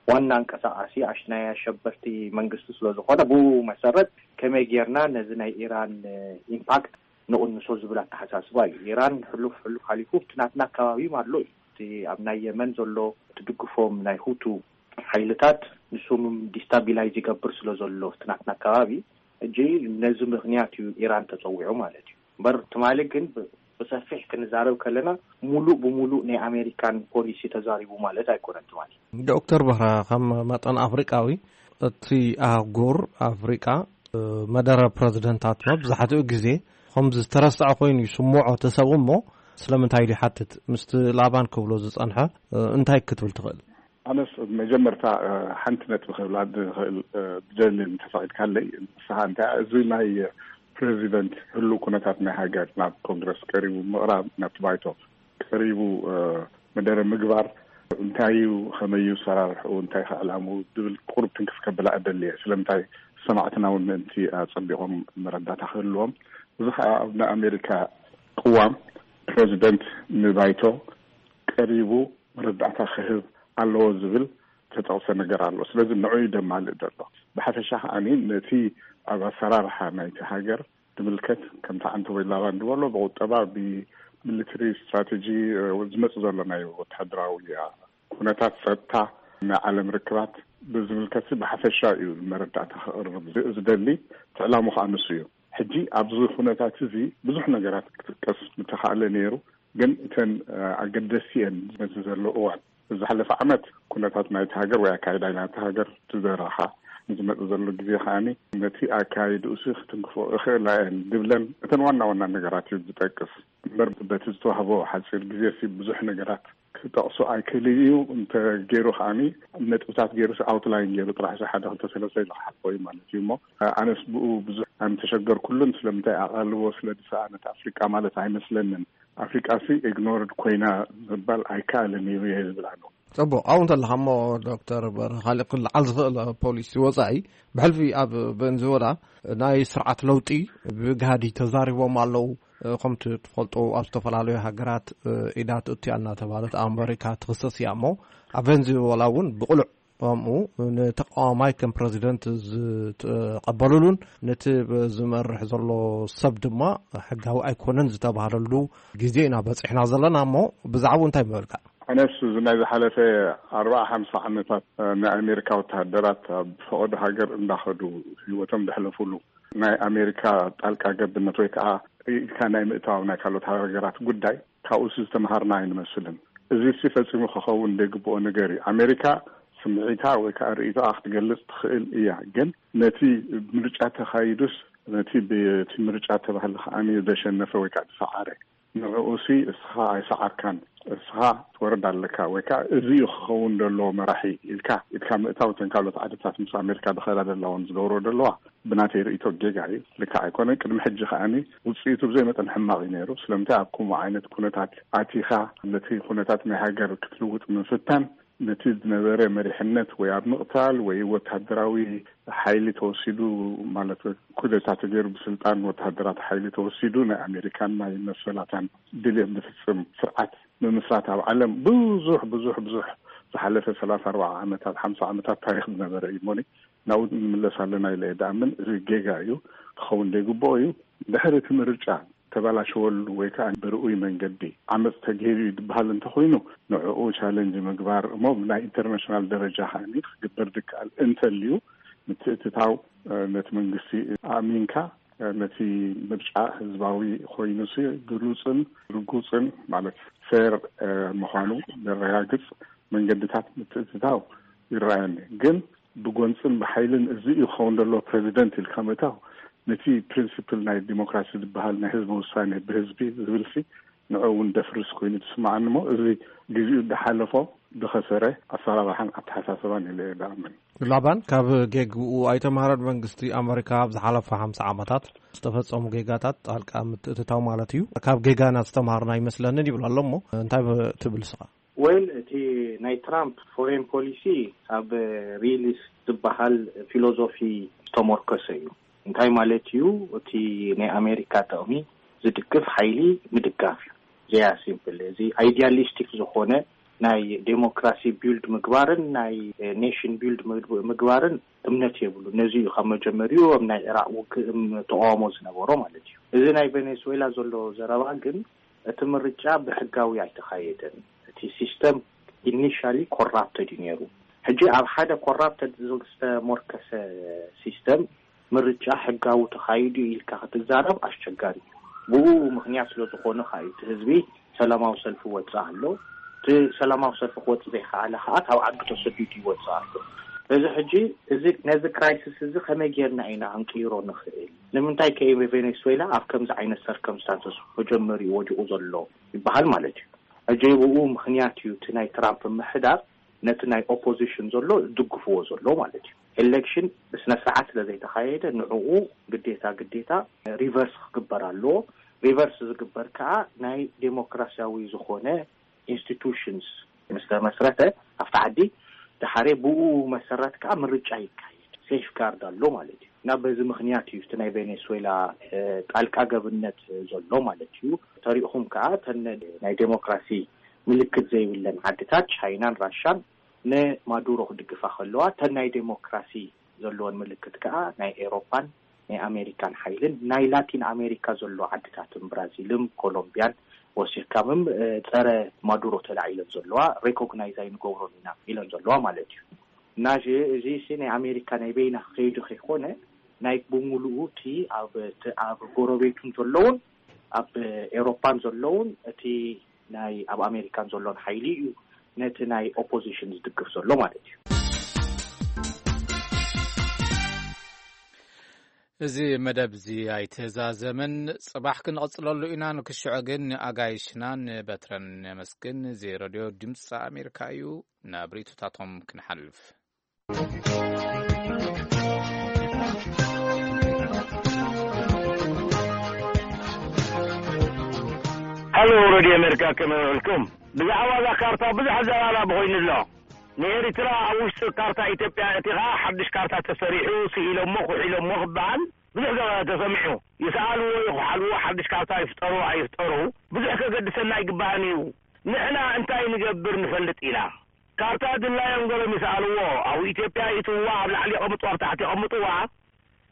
ዋና ኣንቀሳቓሲ ኣሽ-፣ ናይ ኣሸበርቲ መንግስቲ ስለ ዝኾነ፣ ብኡ መሰረት ከመይ ጌርና ነዚ ናይ ኢራን፣ እ፣ ኢምፓክት ንቕንሶ ዝብል ኣተሓሳስባ እዩ። ኢራን ሕሉፍ፣ ሕሉፍ ሓሊፉ እቲ ናትና ኣከባቢ ኣሎ እዩ። እቲ ኣብ ናይ የመን ዘሎ ትድግፎም ናይ ሁቱ ሓይልታት ንሶም ዲስታቢላይዝ ይገብር ስለ ዘሎ እቲ ናትና ኣከባቢ፣ ሕጂ ነዚ ምኽንያት እዩ ኢራን ተጸዊዑ ማለት እዩ። እምበር ትማሊ ግን ብ-፣ ብሰፊሕ ክንዛረብ ከለና፣ ሙሉእ ብሙሉእ ናይ ኣሜሪካን ፖሊሲ ተዛሪቡ ማለት ኣይኮነን ትማሊ። ዶክተር በርሀ፣ ከም መጠን ኣፍሪቃዊ፣ እቲ ኣህጉር ኣፍሪቃ መደረ ፕረዚደንታት መብዛሕትኡ ግዜ ከምዚ ዝተረስዐ ኮይኑ ይስምዖ እቲ ሰብ እሞ፣ ስለምንታይ ኢሉ ይሓትት? ምስቲ ላባን ክብሎ ዝጸንሐ እንታይ ክትብል ትኽእል? ኣነስ መጀመርታ ሓንቲ ነጥቢ ክብላ ዝኽእል ዝደሊ እንተፈቒድካለይ፣ ንስኻ እንታይ እዚ ናይ ፕረዚደንት ህሉው ኩነታት ናይ ሃገር ናብ ኮንግረስ ቀሪቡ ምቕራብ፣ ናብቲ ባይቶ ቀሪቡ መደረ ምግባር፣ እንታይ እዩ፣ ከመይ እዩ ሰራርሕኡ፣ እንታይ ከዕላሙ ዝብል ቁሩብ ትንክፍ ከብላ እደሊ እየ። ስለምንታይ ሰማዕትና እውን ምእንቲ ኣጸቢቖም መረዳእታ ክህልዎም። እዚ ከዓ ኣብ ናይ ኣሜሪካ ቅዋም ፕረዚደንት ንባይቶ ቀሪቡ መረዳእታ ክህብ ኣለዎ ዝብል ተጠቕሰ ነገር ኣሎ። ስለዚ ንዑ እዩ ደማልእ ዘሎ። ብሓፈሻ ከዓኒ ነቲ ኣብ ኣሰራርሓ ናይቲ ሃገር ዝምልከት ከምቲ ዓንተ ወይ ላባን ዝበሎ ብቁጠባ ብሚሊተሪ ስትራቴጂ ዝመፅ ዘሎ ናይ ወታደራዊ ኩነታት ጸጥታ ናይ ዓለም ርክባት ብዝምልከት ብሓፈሻ እዩ መረዳእታ ክቕርብ ዝደሊ። ትዕላሙ ከዓ ንሱ እዩ። ሕጂ ኣብዚ ኩነታት እዚ ብዙሕ ነገራት ክጥቀስ ምተኻእለ ነይሩ። ግን እተን ኣገደስቲ እየን በዚ ዘሎ እዋን። ዝሓለፈ ዓመት ኩነታት ናይቲ ሃገር ወይ ኣካይዳ ናይቲ ሃገር ትዘራኻ ንዝመጽእ ዘሎ ግዜ ከዓኒ ነቲ ኣካይድኡ ሲ ክትንክፎ እኽእላ እየን ዝብለን እተን ዋና ዋና ነገራት እዩ ዝጠቅስ። እምበር በቲ ዝተዋህቦ ሓፂር ግዜ ሲ ብዙሕ ነገራት ክጠቕሱ ኣይክእልን እዩ። እንተ ገይሩ ከዓኒ ነጥብታት ገይሩ ሲ ኣውትላይን ገይሩ ጥራሕ ሲ ሓደ ክልተ ሰለስተ ኢሉ ክሓልፎ እዩ ማለት እዩ። እሞ ኣነስ ብኡ ብዙሕ ኣይምተሸገርኩሉን። ስለምንታይ ኣቓልቦ ስለ ዝሰኣነት ኣፍሪቃ ማለት ኣይመስለንን። ኣፍሪቃ ሲ ኢግኖርድ ኮይና ምባል ኣይከኣልን እዩ እየ ዝብል ኣለኹ። ጽቡቕ። ኣብኡ እንተለኻ እሞ ዶክተር በርሀ፣ ካልእ ክልዓል ዝኽእል ፖሊሲ ወጻኢ፣ ብሕልፊ ኣብ ቬንዙዌላ ናይ ስርዓት ለውጢ ብግሃዲ ተዛሪቦም ኣለዉ። ከምቲ ትፈልጦ ኣብ ዝተፈላለዩ ሃገራት ኢዳ ትእትያ እናተባህለት ኣሜሪካ ትኽሰስ እያ እሞ ኣብ ቬንዙዌላ እውን ብቕሉዕ ከምኡ ንተቃዋማይ ከም ፕረዚደንት ዝተቐበሉሉን ነቲ ዝመርሕ ዘሎ ሰብ ድማ ሕጋዊ ኣይኮነን ዝተባህለሉ ግዜ ኢና በፂሕና ዘለና እሞ ብዛዕባኡ እንታይ ምበልካ? ኣነስ እዚ ናይ ዝሓለፈ ኣርባዓ ሓምሳ ዓመታት ናይ ኣሜሪካ ወተሃደራት ኣብ ፈቐዶ ሃገር እንዳኸዱ ህይወቶም ዘሕለፉሉ ናይ ኣሜሪካ ጣልቃ ገብነት ወይ ከዓ ኢድካ ናይ ምእታው ናይ ካልኦት ሃገራት ጉዳይ ካብኡስ ዝተምሃርና ኣይንመስልን። እዚሲ ፈጺሙ ክኸውን ዘይግብኦ ነገር እዩ። ኣሜሪካ ስምዒታ ወይ ከዓ ርእይቶኣ ክትገልጽ ትኽእል እያ፣ ግን ነቲ ምርጫ ተኻይዱስ ነቲ ብቲ ምርጫ ተባህለ ከዓኒ ዘሸነፈ ወይ ከዓ ዝሰዓረ ንዕኡሲ እስኻ ኣይሰዓርካን፣ እስኻ ትወርድ ኣለካ ወይ ከዓ እዚ እዩ ክኸውን ዘለዎ መራሒ ኢልካ ኢድካ ምእታው እተን ካልኦት ዓድታት ምስ ኣሜሪካ ዝኸዳ ዘለዋን ዝገብሮ ዘለዋ ብናተይ ርእይቶ ጌጋ እዩ። ልክዕ ኣይኮነን። ቅድሚ ሕጂ ከዓኒ ውፅኢቱ ብዘይ መጠን ሕማቕ እዩ ነይሩ። ስለምንታይ ኣብ ከምኡ ዓይነት ኩነታት ኣቲኻ ነቲ ኩነታት ናይ ሃገር ክትልውጥ ምፍታን ነቲ ዝነበረ መሪሕነት ወይ ኣብ ምቕታል ወይ ወታደራዊ ሓይሊ ተወሲዱ ማለት ኩደታ ተገይሩ ብስልጣን ወታደራት ሓይሊ ተወሲዱ ናይ ኣሜሪካን ናይ መሰላታን ድልየት ዝፍፅም ስርዓት ምምስራት ኣብ ዓለም ብዙሕ ብዙሕ ብዙሕ ዝሓለፈ ሰላሳ ኣርባዓ ዓመታት ሓምሳ ዓመታት ታሪክ ዝነበረ እዩ። እሞኒ ናብኡ ንምለስ ኣለና ኢለ እየ ዝኣምን። እዚ ጌጋ እዩ፣ ክኸውን ዘይግብኦ እዩ። ድሕሪ እቲ ምርጫ ተበላሸወሉ ወይ ከዓ ብርኡይ መንገዲ ዓመፅ ተገይሩ እዩ ዝበሃል እንተኮይኑ ንዕኡ ቻለንጅ ምግባር እሞ ብናይ ኢንተርናሽናል ደረጃ ከዓኒ ክግበር ዝከኣል እንተልዩ ምትእትታው ነቲ መንግስቲ ኣእሚንካ ነቲ ምርጫ ህዝባዊ ኮይኑ ሲ ግሉፅን ርጉፅን ማለት ፌር ምዃኑ ዘረጋግፅ መንገድታት ምትእትታው ይረኣየኒ። ግን ብጎንፅን ብሓይልን እዚ እዩ ክኸውን ዘለዎ ፕረዚደንት ኢልካ ምእታው ነቲ ፕሪንሲፕል ናይ ዲሞክራሲ ዝበሃል ናይ ህዝቢ ውሳኔ ብህዝቢ ዝብል ሲ ንዑ እውን ደፍርስ ኮይኑ ትስማዓኒ እሞ እዚ ግዜኡ ዝሓለፎ ዝኸሰረ ኣሰራርሓን ኣተሓሳስባን ኢለ እየ ዝኣምን። ላባን ካብ ጌግኡ ኣይተምሃረን። መንግስቲ ኣመሪካ ኣብ ዝሓለፈ ሓምሳ ዓመታት ዝተፈጸሙ ጌጋታት ጣልቃ ምትእትታው ማለት እዩ። ካብ ጌጋና ዝተምሃርና ኣይመስለንን ይብል ኣሎ እሞ እንታይ ትብል ስኻ? ወይል እቲ ናይ ትራምፕ ፎሬን ፖሊሲ ኣብ ሪሊስ ዝበሃል ፊሎዞፊ ዝተሞርከሰ እዩ። እንታይ ማለት እዩ? እቲ ናይ ኣሜሪካ ጥቕሚ ዝድግፍ ሓይሊ ምድጋፍ እዩ። ዘያ ሲምፕል እዚ ኣይዲያሊስቲክ ዝኾነ ናይ ዴሞክራሲ ቢልድ ምግባርን ናይ ኔሽን ቢልድ ምግባርን እምነት የብሉ። ነዚ እዩ ካብ መጀመሪኡ ኣብ ናይ ኢራቅ ውግእ ተቃውሞ ዝነበሮ ማለት እዩ። እዚ ናይ ቬኔዙዌላ ዘሎ ዘረባ ግን እቲ ምርጫ ብሕጋዊ ኣይተኻየደን። እቲ ሲስተም ኢኒሻሊ ኮራፕትድ እዩ ነይሩ። ሕጂ ኣብ ሓደ ኮራፕትድ ዝተሞርከሰ ሲስተም ምርጫ ሕጋዊ ተኻይዱ ኢልካ ክትዛረብ ኣስቸጋሪ እዩ። ብኡ ምክንያት ስለ ዝኾነ ከዓ እዩ እቲ ህዝቢ ሰላማዊ ሰልፊ ወፅእ ኣሎ። እቲ ሰላማዊ ሰልፊ ክወፅእ ዘይከኣለ ከዓ ካብ ዓዱ ተሰዲዱ ይወፅእ ኣሎ። እዚ ሕጂ፣ እዚ ነዚ ክራይሲስ እዚ ከመይ ጌርና ኢና ክንቅይሮ ንኽእል? ንምንታይ ከ ቬኔስዌላ ኣብ ከምዚ ዓይነት ሰርከምስታንስስ መጀመሪኡ ወዲቑ ዘሎ ይበሃል ማለት እዩ። ሕጂ ብኡ ምኽንያት እዩ እቲ ናይ ትራምፕ ምሕዳር ነቲ ናይ ኦፖዚሽን ዘሎ ዝድግፍዎ ዘሎ ማለት እዩ። ኤሌክሽን ብስነ ስርዓት ስለ ዘይተኻየደ፣ ንዕኡ ግዴታ ግዴታ ሪቨርስ ክግበር ኣለዎ። ሪቨርስ ዝግበር ከዓ ናይ ዴሞክራሲያዊ ዝኾነ ኢንስቲቱሽንስ ምስ ተመስረተ ኣብቲ ዓዲ፣ ድሓሬ ብኡ መሰረት ከዓ ምርጫ ይካየድ፣ ሴፍ ጋርድ ኣሎ ማለት እዩ። እና በዚ ምኽንያት እዩ እቲ ናይ ቬኔስዌላ ጣልቃ ገብነት ዘሎ ማለት እዩ። ተሪእኹም ከዓ እተን ናይ ዴሞክራሲ ምልክት ዘይብለን ዓድታት፣ ቻይናን ራሻን፣ ንማዱሮ ክድግፋ ከለዋ፣ እተን ናይ ዴሞክራሲ ዘለወን ምልክት ከዓ ናይ ኤሮፓን ናይ ኣሜሪካን ሓይልን፣ ናይ ላቲን ኣሜሪካ ዘሎ ዓድታትን፣ ብራዚልን ኮሎምቢያን ወሲኽካምም ጸረ ማዱሮ ተላዒለን ዘለዋ፣ ሬኮግናይዝ ኣይንገብሮን ኢና ኢለን ዘለዋ ማለት እዩ። እና እዚ እዚ ናይ ኣሜሪካ ናይ በይና ከይዱ ከይኮነ፣ ናይ ብምሉኡ እቲ ኣብ ጎረቤቱን ዘለውን፣ ኣብ ኤሮፓን ዘለውን፣ እቲ ናይ ኣብ ኣሜሪካን ዘሎን ሓይሊ እዩ ነቲ ናይ ኦፖዚሽን ዝድግፍ ዘሎ ማለት እዩ። እዚ መደብ እዚ ኣይተዛዘመን፣ ጽባሕ ክንቕጽለሉ ኢና። ንክሽዖ ግን ንኣጋይሽናን በትረን ነመስግን። እዚ ረድዮ ድምፂ ኣሜሪካ እዩ። ናብ ርእይቶታቶም ክንሓልፍ። ሃሎ ረድዮ ኣሜሪካ፣ ከመይ ውዕልኩም? ብዛዕባ እዛ ካርታ ብዙሕ ኣዘራራቢ ኮይኑ ኣሎ። ንኤርትራ ኣብ ውሽጢ ካርታ ኢትዮጵያ እቲ ኸኣ ሓድሽ ካርታ ተሰሪሑ፣ ስኢሎሞ፣ ኩሒሎሞ ክበሃል ብዙሕ ዘ- ተሰሚዑ። ይስኣልዎ ይኹሓልዎ፣ ሓድሽ ካርታ ይፍጠሩ ኣይፍጠሩ ብዙሕ ከገድሰና ኣይግባእን እዩ። ንሕና እንታይ ንገብር ንፈልጥ ኢና። ካርታ ድላዮም ገሎም ይስኣልዎ። ኣብ ኢትዮጵያ ይእትውዋ፣ ኣብ ላዕሊ የቐምጥዋ፣ ኣብ ታሕቲ የቐምጥዋ።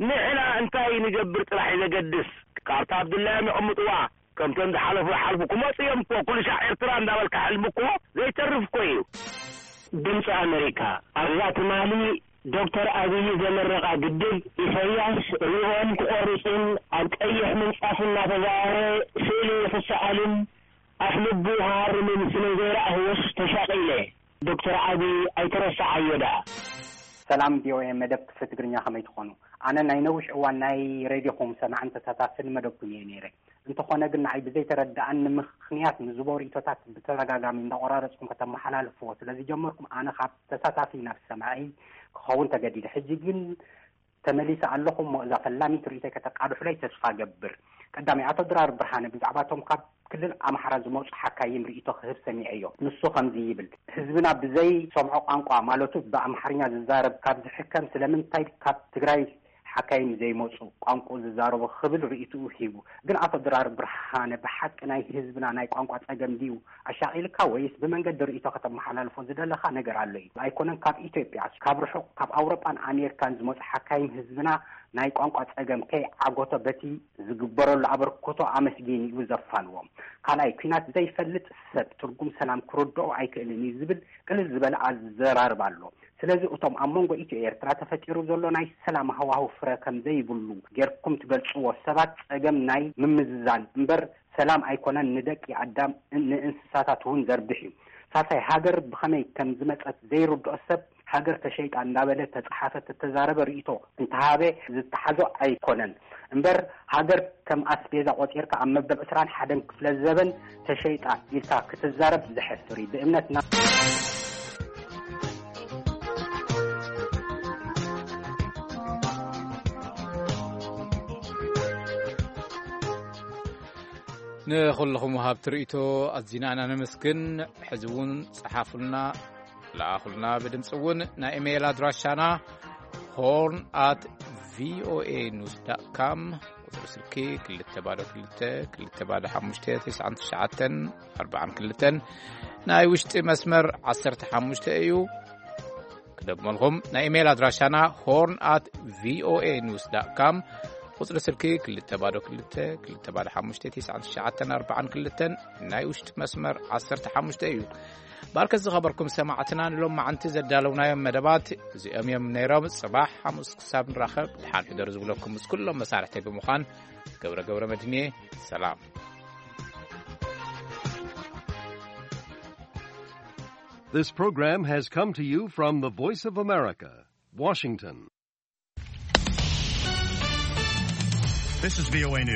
ንሕና እንታይ ንገብር ጥራሕ እዩ ዘገድስ። ካርታ ኣብ ድላዮም የቐምጥዋ። ከምቶም ዝሓለፉ ይሓልፉ፣ ክመፁ እዮም እኮ። ኩሉ ሻዕ ኤርትራ እንዳበልካ ሕልሚ እኮ ዘይተርፍ እኮ እዩ። ድምፂ ኣመሪካ ኣብዛ ትማሊ ዶክተር ኣብይ ዘመረቓ ግድብ ኢሳያስ ሪኦም ክቖርፁን ኣብ ቀይሕ ምንፃፍ እናተዛወረ ስእሊ ክሰኣልን ኣፍ ልቡ ክሃርምን ስለ ዘይረኣኽዎስ ተሻቒለ። ዶክተር ኣብይ ኣይትረስዓዮ ደኣ። ሰላም ቪኦኤ መደብ ክፍሊ ትግርኛ ከመይ ትኾኑ? ኣነ ናይ ነዊሕ እዋን ናይ ሬድዮኹም ሰማዕን ተሳታፍን መደብኩም እየ ነይረ። እንተኾነ ግን ንዓይ ብዘይተረድኣኒ ምኽንያት ንዝቦ ርእይቶታት ብተደጋጋሚ እንዳቖራረጽኩም ከተመሓላልፍዎ ስለ ዝጀመርኩም ኣነ ካብ ተሳታፊ ናብ ሰማዒ ክኸውን ተገዲደ። ሕጂ ግን ተመሊሰ ኣለኹ እሞ እዛ ፈላሚት ርእይቶይ ከተቃድሑለይ ተስፋ እገብር። ቀዳማይ፣ ኣቶ ድራር ብርሃነ ብዛዕባ እቶም ካብ ክልል ኣምሓራ ዝመጹ ሓካይም ርእይቶ ክህብ ሰሚዐዮ። ንሱ ከምዚ ይብል፣ ህዝብና ብዘይ ሰምዖ ቋንቋ ማለቱ ብኣምሓርኛ ዝዛረብ ካብ ዝሕከም ስለምንታይ ካብ ትግራይ ሓካይም ዘይመጹ ቋንቋኡ ዝዛረቡ ክብል ርእይትኡ ሂቡ። ግን ኣቶ ድራር ብርሃነ ብሓቂ ናይ ህዝብና ናይ ቋንቋ ጸገም ድዩ ኣሻቒልካ ወይስ ብመንገዲ ርእይቶ ከተመሓላልፎ ዝደለኻ ነገር ኣሎ እዩ። ኣይኮነን ካብ ኢትዮጵያ፣ ካብ ርሑቕ ካብ ኣውሮጳን ኣሜሪካን ዝመጹ ሓካይም ህዝብና ናይ ቋንቋ ጸገም ከይዓጎቶ በቲ ዝግበረሉ ኣበርክቶ ኣመስጊኑ እዩ ዘፋንዎም። ካልኣይ ኲናት ዘይፈልጥ ሰብ ትርጉም ሰላም ክርድኦ ኣይክእልን እዩ ዝብል ቅልል ዝበለ ኣዘራርባ ኣሎ። ስለዚ እቶም ኣብ መንጎ ኢትዮ ኤርትራ ተፈጢሩ ዘሎ ናይ ሰላም ሃዋሁ ፍረ ከም ዘይብሉ ጌርኩም ትገልጽዎ ሰባት ጸገም ናይ ምምዝዛን እምበር ሰላም ኣይኮነን ንደቂ ኣዳም ንእንስሳታት እውን ዘርብሕ እዩ። ሳልሳይ ሃገር ብኸመይ ከም ዝመጸት ዘይርድኦ ሰብ ሃገር ተሸይጣ እንዳበለ ተጻሓፈ ተተዛረበ ርእይቶ እንተሃበ ዝተሓዞ ኣይኮነን እምበር ሃገር ከም ኣስቤዛ ቆጺርካ ኣብ መበል ዕስራን ሓደን ክፍለ ዘበን ተሸይጣ ኢልካ ክትዛረብ ዘሕፍር እዩ። ብእምነትና ንኹልኹም ወሃብቲ ርእይቶ ኣዚና ኢና ነመስግን። ሕዚ እውን ጸሓፉልና፣ ለኣኹልና። ብድምፂ እውን ናይ ኢሜይል ኣድራሻና ሆርን ኣት ቪኦኤ ኒውስ ዳት ካም፣ ቁፅሪ ስልኪ ክልተ ባዶ ክልተ ክልተ ባዶ ሓሙሽተ ተስዓን ትሽዓተን ኣርባዓን ክልተን፣ ናይ ውሽጢ መስመር ዓሰርተ ሓሙሽተ እዩ። ክደግመልኩም፣ ናይ ኢሜይል ኣድራሻና ሆርን ኣት ቪኦኤ ኒውስ ዳት ካም፣ ቁፅሪ ስልኪ ክልተ ባዶ ክልተ ክልተ ባዶ ሓሙሽተ ተስዓን ትሽዓተን ኣርባዓን ክልተን፣ ናይ ውሽጢ መስመር ዓሰርተ ሓሙሽተ እዩ። ባርከ ዝኸበርኩም ሰማዕትና፣ ንሎም መዓንቲ ዘዳለውናዮም መደባት እዚኦም እዮም ነይሮም። ጽባሕ ሓሙስ ክሳብ ንራኸብ፣ ድሓን ሕደሩ ዝብለኩም ምስ ኩሎም መሳርሕተይ ብምዃን ገብረ ገብረ መድህን እየ። ሰላም። This program has come to you from the Voice of America, Washington. This is V O A News.